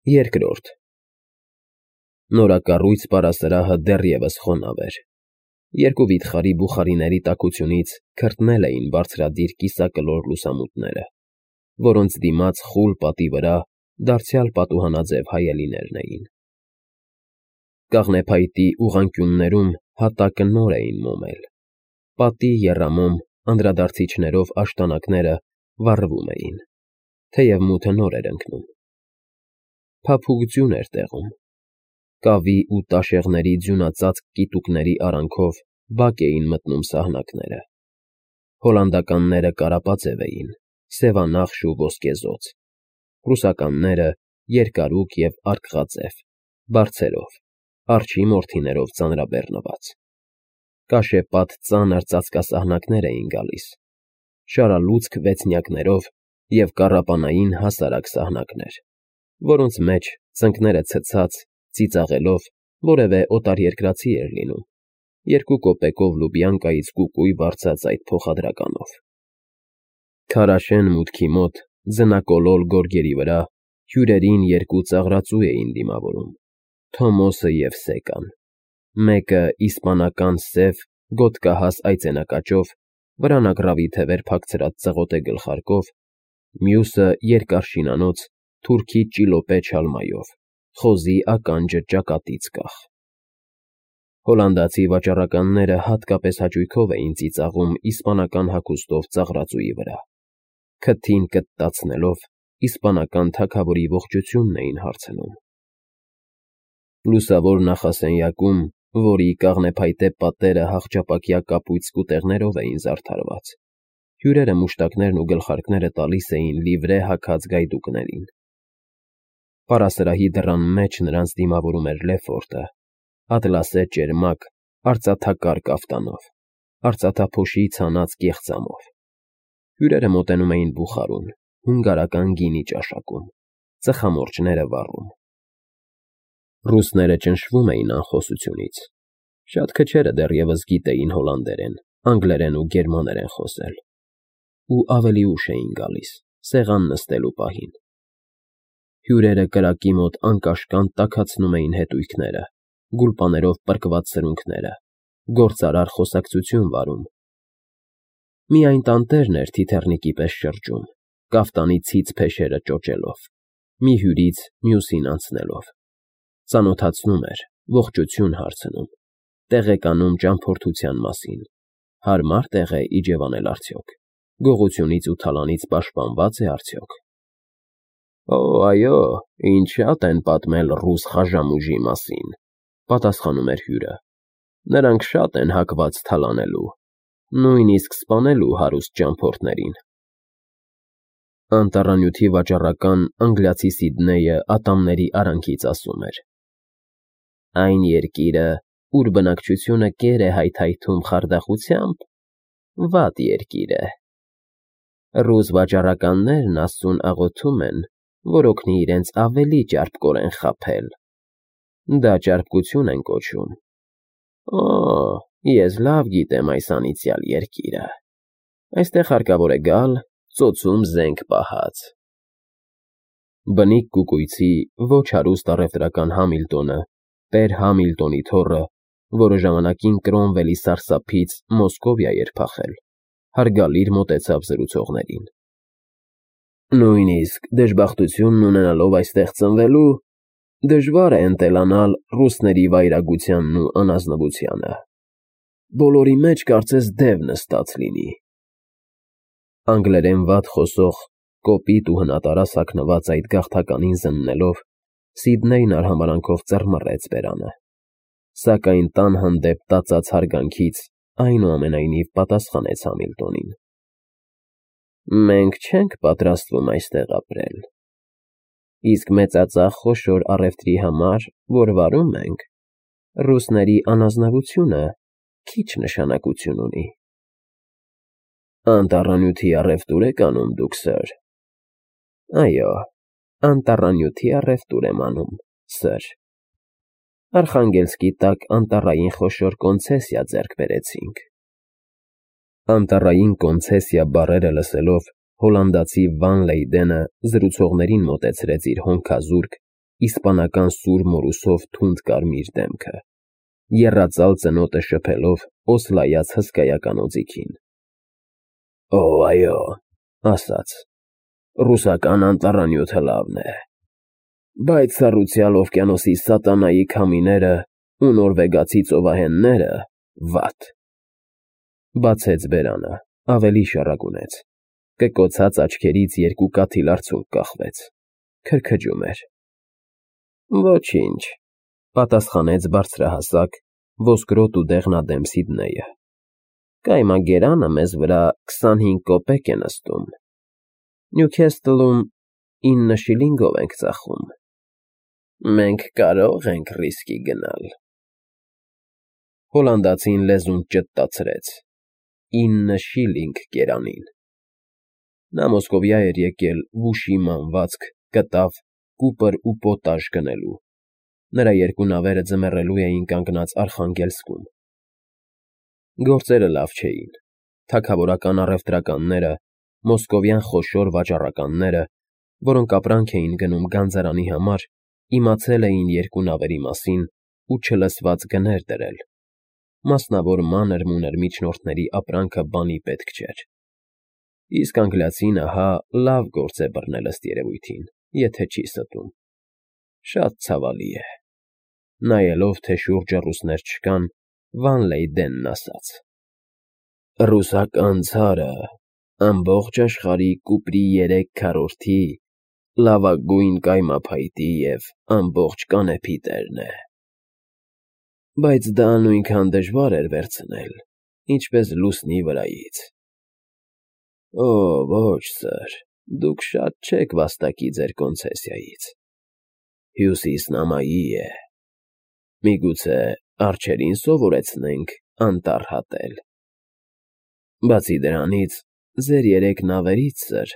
Երկրորդ Նորակառույց պարասրահը դեռևս խոնավ էր։ Երկու վիթխարի բուխարիների տաքությունից քրտնել էին բարձրադիր կիսակլոր լուսամուտները, որոնց դիմաց խուլ պատի վրա դարձյալ պատուհանաձև հայելիներն էին։ Կաղնեփայտի ուղղանկյուններում հատակը նոր էին մոմել։ Պատի եռամոմ անդրադարձիչներով աշտանակները վառվում էին, թեև մութը նոր էր ընկնում։ Փափուկ ձյուն էր տեղում։ Կավի ու տաշեղների ձյունածածկ կիտուկների արանքով բակ էին մտնում սահնակները։ Հոլանդականները կարապաձև էին, սևանախշ ու ոսկեզօծ, ռուսականները երկարուկ և արկղաձև, բարձերով, արջի մորթիներով ծանրաբեռնված։ Կաշեպատ ծանր ծածկասահնակներ էին գալիս, շարալուցկ վեցնյակներով և կառապանային հասարակ սահնակներ, որոնց մեջ, ծնկները ցցած, ծիծաղելով, որևէ օտարերկրացի էր լինում, 2 կոպեկով Լուբյանկայից կուկույ վարձած այդ փոխադրականով։ Քարաշեն մուտքի մոտ, ձնակոլոր գորգերի վրա, հյուրերին 2 ծաղրածու էին դիմավորում՝ Թոմոսը և Սեկան, մեկը իսպանական սև, գոտկահաս այծենակաճով, վրանագռավի թևեր փակցրած ծղոտե գլխարկով, մյուսը երկար շինանոց, թուրքի ճիլոպե չալմայով, խոզի ականջը ճակատից կախ։ Հոլանդացի վաճառականները հատկապես հաճույքով էին ծիծաղում իսպանական հագուստով ծաղրածուի վրա, քթին կտտացնելով, իսպանական թագավորի ողջությունն էին հարցնում։ Լուսավոր նախասենյակում, որի կաղնեփայտե պատերը հախճապակյա կապույտ սկուտեղներով էին զարդարված, հյուրերը մուշտակներն ու գլխարկները տալիս էին լիվրե հագած գայդուկներին։ Պարասրահի դռան մեջ նրանց դիմավորում էր Լեֆորտը, ատլասե ճերմակ, արծաթակար կաֆտանով, արծաթափոշի ցանած կեղծամով։ Հյուրերը մոտենում էին բուխարուն, հունգարական գինի ճաշակում, ծխամորճները վառում։ Ռուսները ճնշվում էին անխոսությունից։ Շատ քչերը դեռևս գիտեին հոլանդերեն, անգլերեն ու գերմաներեն խոսել։ Ու ավելի ուշ էին գալիս, սեղան նստելու պահին։ Հյուրերը կրակի մոտ անկաշկանդ տաքացնում էին հետույքները, գուլպաներով պրկված սրունքները, գործարար խոսակցություն վարում։ Միայն տանտերն էր թիթեռնիկի պես շրջում, կաֆտանի ցից փեշերը ճոճելով, մի հյուրից մյուսին անցնելով, ծանոթացնում էր, ողջություն հարցնում, տեղեկանում ճամփորդության մասին, հարմար տեղ է իջևանել արդյոք, գողությունից ու թալանից պաշտպանված է արդյոք։ Օ, այո, ինչ շատ են պատմել ռուս խաժամուժի մասին, պատասխանում էր հյուրը։ Նրանք շատ են հակված թալանելու, նույնիսկ սպանելու հարուստ ճամփորդներին։ Անտառանյութի վաճառական անգլիացի Սիդնեյը ատամների արանքից ասում էր. Այն երկիրը, ուր բնակչությունը կեր է հայթայթում խարդախությամբ, վատ երկիր է։ Ռուս վաճառականներն Աստծուն աղոթում են, որ օգնի իրենց ավելի ճարպկորեն խաբել։ Դա ճարպկություն են կոչում։ Օ, ես լավ գիտեմ այս անիծյալ երկիրը։ Այստեղ հարկավոր է գալ, ծոցում զենք պահած։ Բնիկ կուկույցի ոչ հարուստ առևտրական Համիլտոնը, Տեր Համիլտոնի թոռը, որը ժամանակին Կրոմվելի սարսափից Մոսկովիա էր փախել, հարգալիր մոտեցավ զրուցողներին։ Նույնիսկ դժբախտությունն ունենալով այստեղ ծնվելու, դժվար է ընտելանալ ռուսների վայրագությանն ու անազնվությանը։ Բոլորի մեջ կարծես դև նստած լինի։ Անգլերեն վատ խոսող, կոպիտ ու հնատարած հագնված այդ գաղթականին զննելով, Սիդնեյն արհամարհանքով ծռմռեց բերանը, սակայն տան հանդեպ տածած հարգանքից այնուամենայնիվ պատասխանեց Համիլտոնին. Մենք չենք պատրաստվում այստեղ ապրել, իսկ մեծածախ խոշոր առևտրի համար, որ վարում ենք, ռուսների անազնվությունը քիչ նշանակություն ունի։ Անտառանյութի առևտուր եք անում դուք, սըր։ Այո, անտառանյութի առևտուր եմ անում, սըր։ Արխանգելսկի տակ անտառային խոշոր կոնցեսիա ձեռք բերեցինք։ Անտառային կոնցեսիա բառերը լսելով հոլանդացի Վան Լեյդենը զրուցողներին մոտեցրեց իր հոնքազուրկ, իսպանական սուր մորուսով թունդ կարմիր դեմքը, եռածալ ծնոտը շփելով օսլայած հսկայական օձիքին։ Օ, այո, ասաց, ռուսական անտառանյութը լավն է, բայց սառուցյալ օվկիանոսի սատանայի քամիները ու նորվեգացի ծովահենները վատ։ Բացեց բերանը, ավելի շառագունեց, կկոցած աչքերից երկու կաթիլ արցունք կախվեց, քրքջում էր։ Ոչինչ, պատասխանեց բարձրահասակ, ոսկրոտ ու դեղնադեմ Սիդնեյը։ Կայմագերանը մեզ վրա 25 կոպեկ է նստում, Նյուքեսթլում 9 շիլինգով ենք ծախում։ Մենք կարող ենք ռիսկի գնալ։ Հոլանդացին լեզուն ճտտացրեց։ 9 շիլինգ կերանին։ Նա Մոսկովիա էր եկել վուշի մանվածք, կտավ, կուպր ու պոտաժ գնելու։ Նրա երկու նավերը ձմեռելու էին կանգնած Արխանգելսկում։ Գործերը լավ չէին։ Թագավորական առևտրականները, մոսկովյան խոշոր վաճառականները, որոնք ապրանք էին գնում գանձարանի համար, իմացել էին երկու նավերի մասին ու չլսված գներ դրել։ Մասնավոր մանր-մունր միջնորդների ապրանքը բանի պետք չէր։ Իսկ անգլիացին ահա լավ գործ է բռնել ըստ երևույթին, եթե չի ստում։ Շատ ցավալի է։ Նայելով, թե շուրջը ռուսներ չկան, Վան Լեյդենն ասաց. Ռուսական ցարը ամբողջ աշխարհի կուպրի 3/4 լավագույն կայմափայտի և ամբողջ կանեփի տերն է։ Բայց դա նույնքան դժվար էր վերցնել, ինչպես լուսնի վրայից։ Օ, ոչ, սըր, դուք շատ չեք վաստակի ձեր կոնցեսիայից։ Հյուսիսն ամայի է։ Միգուցե արջերին սովորեցնենք անտառ հատել։ Բացի դրանից, ձեր 3 նավերից, սըր,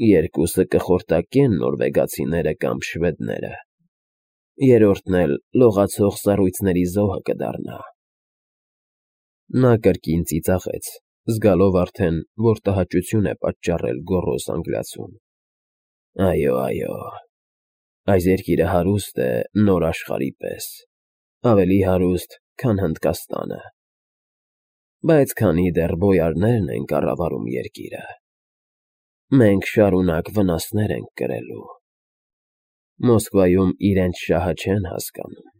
2-ը կխորտակեն նորվեգացիները կամ շվեդները, երրորդն էլ լողացող սառույցների զոհը կդառնա։ Նա կրկին ծիծաղեց, զգալով արդեն, որ տհաճություն է պատճառել գոռոզ անգլիացուն։ Այո, այո, այս երկիրը հարուստ է նոր աշխարհի պես, ավելի հարուստ, քան Հնդկաստանը, բայց քանի դեռ բոյարներն են կառավարում երկիրը, մենք շարունակ վնասներ ենք կրելու։ Մոսկվայում իրենց շահը չեն հասկանում։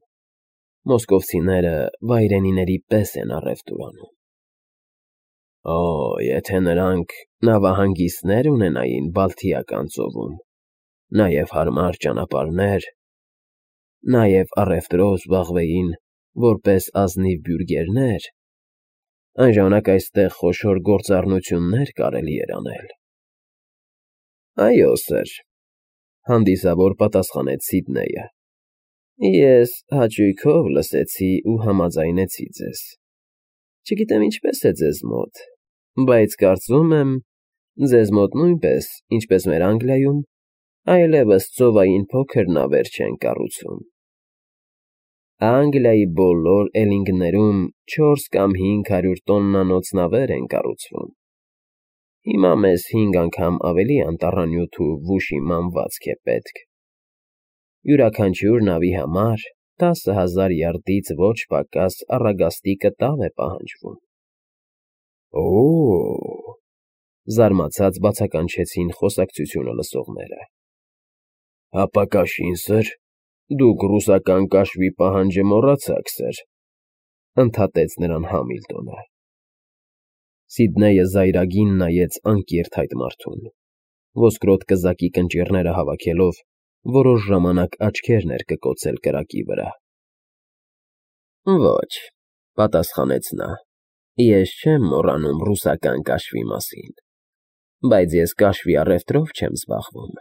Մոսկովցիները վայրենիների պես են առևտուր անում։ Օ, եթե նրանք նավահանգիստներ ունենային Բալթիական ծովում, նաև հարմար ճանապարհներ, նաև առևտրով զբաղվեին որպես ազնիվ բյուրգերներ, այն ժամանակ այստեղ խոշոր գործառնություններ կարելի էր անել։ Այո, սըր, հանդիսավոր պատասխանեց Սիդնեյը։ Ես հաճույքով լսեցի ու համաձայնեցի ձեզ։ Չգիտեմ ինչպես է ձեզ մոտ, բայց կարծում եմ, ձեզ մոտ նույնպես, ինչպես մեր Անգլիայում, այլևս ծովային փոքր նավեր չեն կառուցում։ Անգլիայի բոլոր էլինգներում 4 կամ 500 տոննանոց նավեր են կառուցվում։ Հիմա մեզ 5 անգամ ավելի անտառանյութ ու վուշի մանվածք է պետք։ Յուրաքանչյուր նավի համար 10,000 յարդից ոչ պակաս առագաստի կտավ է պահանջվում։ Օ՜, զարմացած բացականչեցին խոսակցությունը լսողները։ Հապա կաշին, սըր, դուք ռուսական կաշվի պահանջը մոռացաք, սըր, ընդհատեց նրան Համիլտոնը։ Սիդնեյը զայրագին նայեց անկիրթ այդ մարդուն, ոսկրոտ կզակի կնճիռները հավաքելով, որոշ ժամանակ աչքեր ներկկոցել կրակի վրա։ Ոչ, պատասխանեց նա, ես չեմ մոռանում ռուսական կաշվի մասին, բայց ես կաշվի առևտրով չեմ զբաղվում։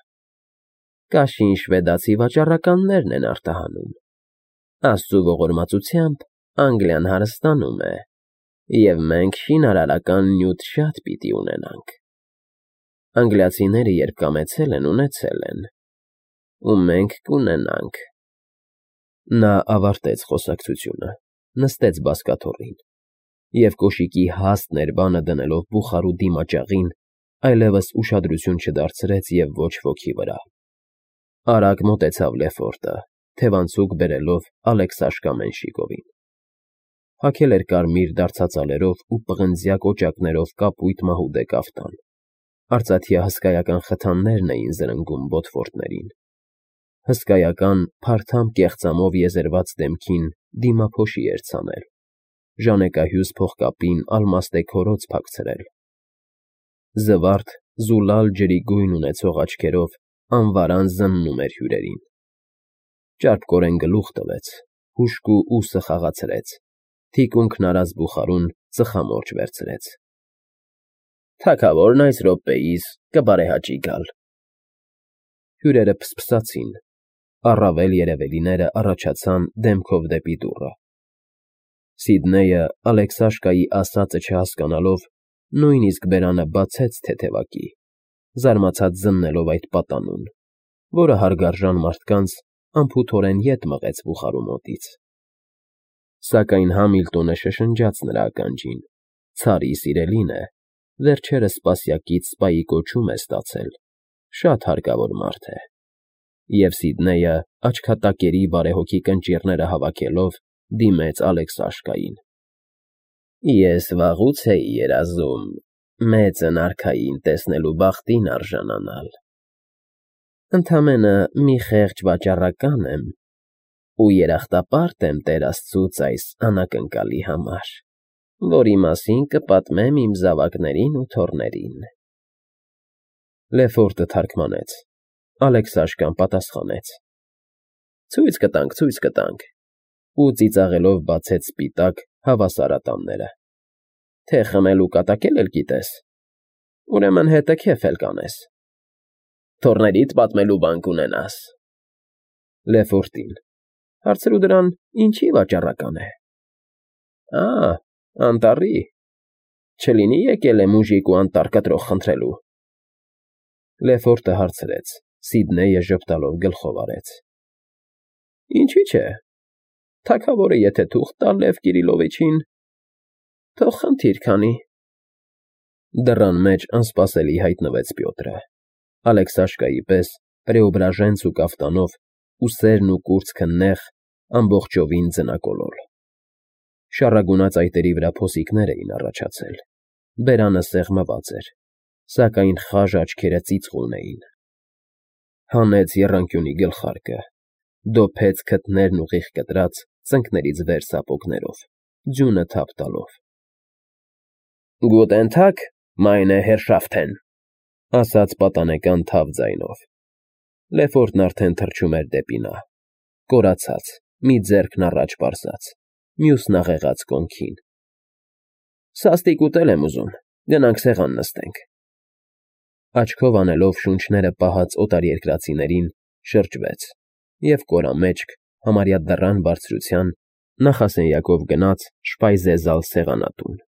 Կաշին շվեդացի վաճառականներն են արտահանում։ Աստծու ողորմածությամբ Անգլիան հարստանում է, և մենք շինարարական նյութ շատ պիտի ունենանք։ Անգլիացիները երբ կամեցել են, ունեցել են, ու մենք կունենանք։ Նա ավարտեց խոսակցությունը, նստեց բազկաթոռին և կոշիկի հաստ ներբանը դնելով բուխարու դիմաճաղին, այլևս ուշադրություն չդարձրեց և ոչ ոքի վրա։ Արագ մոտեցավ Լեֆորտը, թևանցուկ բերելով Ալեքսաշկա Մենշիկովին։ Հագել էր կարմիր դարձածալերով ու պղնձյա կոճակներով կապույտ մահուդե կաֆտան։ Արծաթյա հսկայական խթաններն էին զրնգում բոթֆորտներին։ Հսկայական, փարթամ կեղծամով եզերված դեմքին դիմափոշի էր ցանել, ժանեկահյուս փողկապին ալմաստե քորոց փակցրել։ Զվարթ, զուլալ ջրի գույն ունեցող աչքերով անվարան զննում էր հյուրերին։ Ճարպկորեն գլուխ տվեց, հուշկու ուսը խաղացրեց, թիկունքն արած բուխարուն ծխամորճ վերցրեց։ Թագավորն այս րոպեիս կբարեհաճի գալ։ Հյուրերը փսփսացին, առավել երևելիները առաջացան դեմքով դեպի դուռը։ Սիդնեյը, Ալեքսաշկայի ասածը չհասկանալով, նույնիսկ բերանը բացեց թեթևակի, զարմացած զննելով այդ պատանուն, որը հարգարժան մարդկանց անփութորեն ետ մղեց բուխարու մոտից։ Սակայն Համիլտոնը շշնջաց նրա ականջին. «Ցարի սիրելին է, վերջերս սպասյակից սպայի կոչում է ստացել, շատ հարկավոր մարդ է»։ Եվ Սիդնեյը, աչքատակերի բարեհոգի կնճիռները հավաքելով, դիմեց Ալեքսաշկային։ Ես վաղուց էի երազում մեծն արքային տեսնելու բախտին արժանանալ։ Ընդամենը մի խեղճ վաճառական եմ ու երախտապարտ եմ Տեր Աստծուց այս անակնկալի համար, որի մասին կպատմեմ իմ զավակներին ու թոռներին։ Լեֆորտը թարգմանեց, Ալեքսաշկան պատասխանեց. Ցույց կտանք, ու ծիծաղելով բացեց սպիտակ հավասարատամները։ Թե խմել ու կատակել էլ գիտես, ուրեմն հետը քեֆ էլ կանես։ Թոռներիդ պատմելու բան կունենաս։ Լեֆորտին. Հարցրու դրան, ինչի վաճառական է։ Անտառի։ Չլինի եկել է մուժիկ ու անտառ կտրող խնդրելու։ Լեֆորտը հարցրեց, Սիդնեյը ժպտալով գլխով արեց. Ինչի՞ չէ։ Թագավորը եթե թուղթ տա Լև Կիրիլովիչին, թող խնդիր քանի։ Դռան մեջ անսպասելի հայտնվեց Պյոտրը, Ալեքսաշկայի պես պրեոբրաժենց ու կաֆտանով, ուսերն ու կուրծքը նեղ, ամբողջովին ձնակոլոր։ Շառագունած այտերի վրա փոսիկներ էին առաջացել, բերանը սեղմված էր, սակայն խաժ աչքերը ծիծաղուն էին։ Հանեց եռանկյունի գլխարկը, դոփեց քթներն ուղիղ կտրած, ծնկներից վեր սապոգներով, ձյունը թափ տալով։ Գուտեն թագ, մայնե հերշաֆթեն, ասաց պատանեկան թավ ձայնով։ Լեֆորտն արդեն թռչում էր դեպի նա, կորացած, մի ձեռքն առաջ պարզած, մյուսն աղեղած կոնքին։ Սաստիկ ուտել եմ ուզում, գնանք սեղան նստենք։ Աչքով անելով շունչները պահած օտարերկրացիներին, շրջվեց և կորամեջք, համարյա դռան բարձրության, նախասենյակով գնաց շպայզեզալ սեղանատուն։